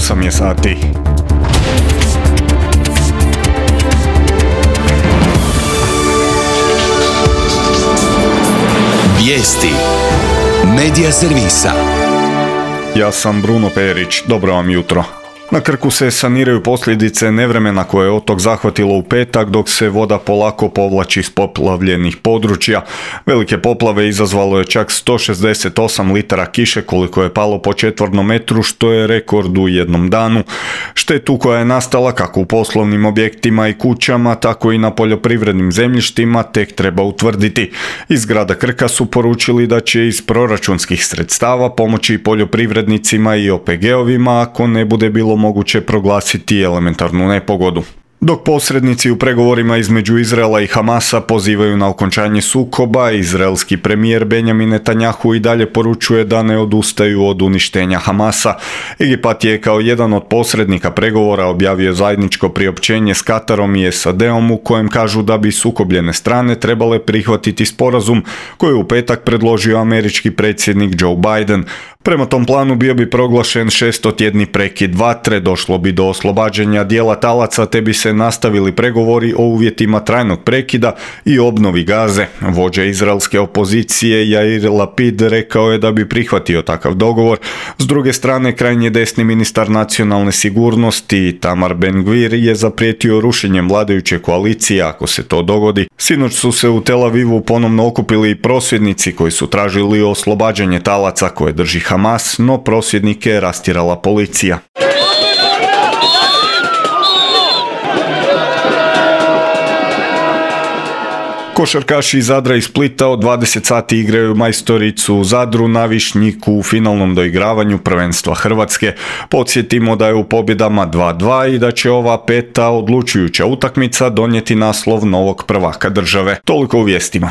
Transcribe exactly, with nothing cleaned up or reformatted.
osam je sati. Vijesti Medija servisa. Ja sam Bruno Perić, dobro vam jutro. Na Krku se saniraju posljedice nevremena koje je otok zahvatilo u petak, dok se voda polako povlači iz poplavljenih područja. Velike poplave izazvalo je čak sto šezdeset osam litara kiše koliko je palo po četvornom metru, što je rekord u jednom danu. Štetu koja je nastala kako u poslovnim objektima i kućama, tako i na poljoprivrednim zemljištima tek treba utvrditi. Iz grada Krka su poručili da će iz proračunskih sredstava pomoći poljoprivrednicima i O P G-ovima ako ne bude bilo moguće proglasiti elementarnu nepogodu. Dok posrednici u pregovorima između Izraela i Hamasa pozivaju na okončanje sukoba, izraelski premijer Benjamin Netanjahu i dalje poručuje da ne odustaju od uništenja Hamasa. Egipat je kao jedan od posrednika pregovora objavio zajedničko priopćenje s Katarom i S A D-om u kojem kažu da bi sukobljene strane trebale prihvatiti sporazum koji je u petak predložio američki predsjednik Joe Biden. Prema tom planu bio bi proglašen šestotjedni prekid vatre, došlo bi do oslobađanja dijela talaca te bi se nastavili pregovori o uvjetima trajnog prekida i obnovi Gaze. Vođa izraelske opozicije Jair Lapid rekao je da bi prihvatio takav dogovor. S druge strane, krajnje desni ministar nacionalne sigurnosti Tamar Ben-Gvir je zaprijetio rušenjem vladajuće koalicije ako se to dogodi. Sinoć su se u Tel Avivu ponovno okupili prosvjednici koji su tražili oslobađanje talaca koje drži Hamas, no prosvjednike je rastjerala policija. Košarkaši iz Zadra i Splita od dvadeset sati igraju majstoricu u Zadru na Višnjiku u finalnom doigravanju prvenstva Hrvatske. Podsjetimo da je u pobjedama dva dva i da će ova peta odlučujuća utakmica donijeti naslov novog prvaka države. Toliko u vijestima.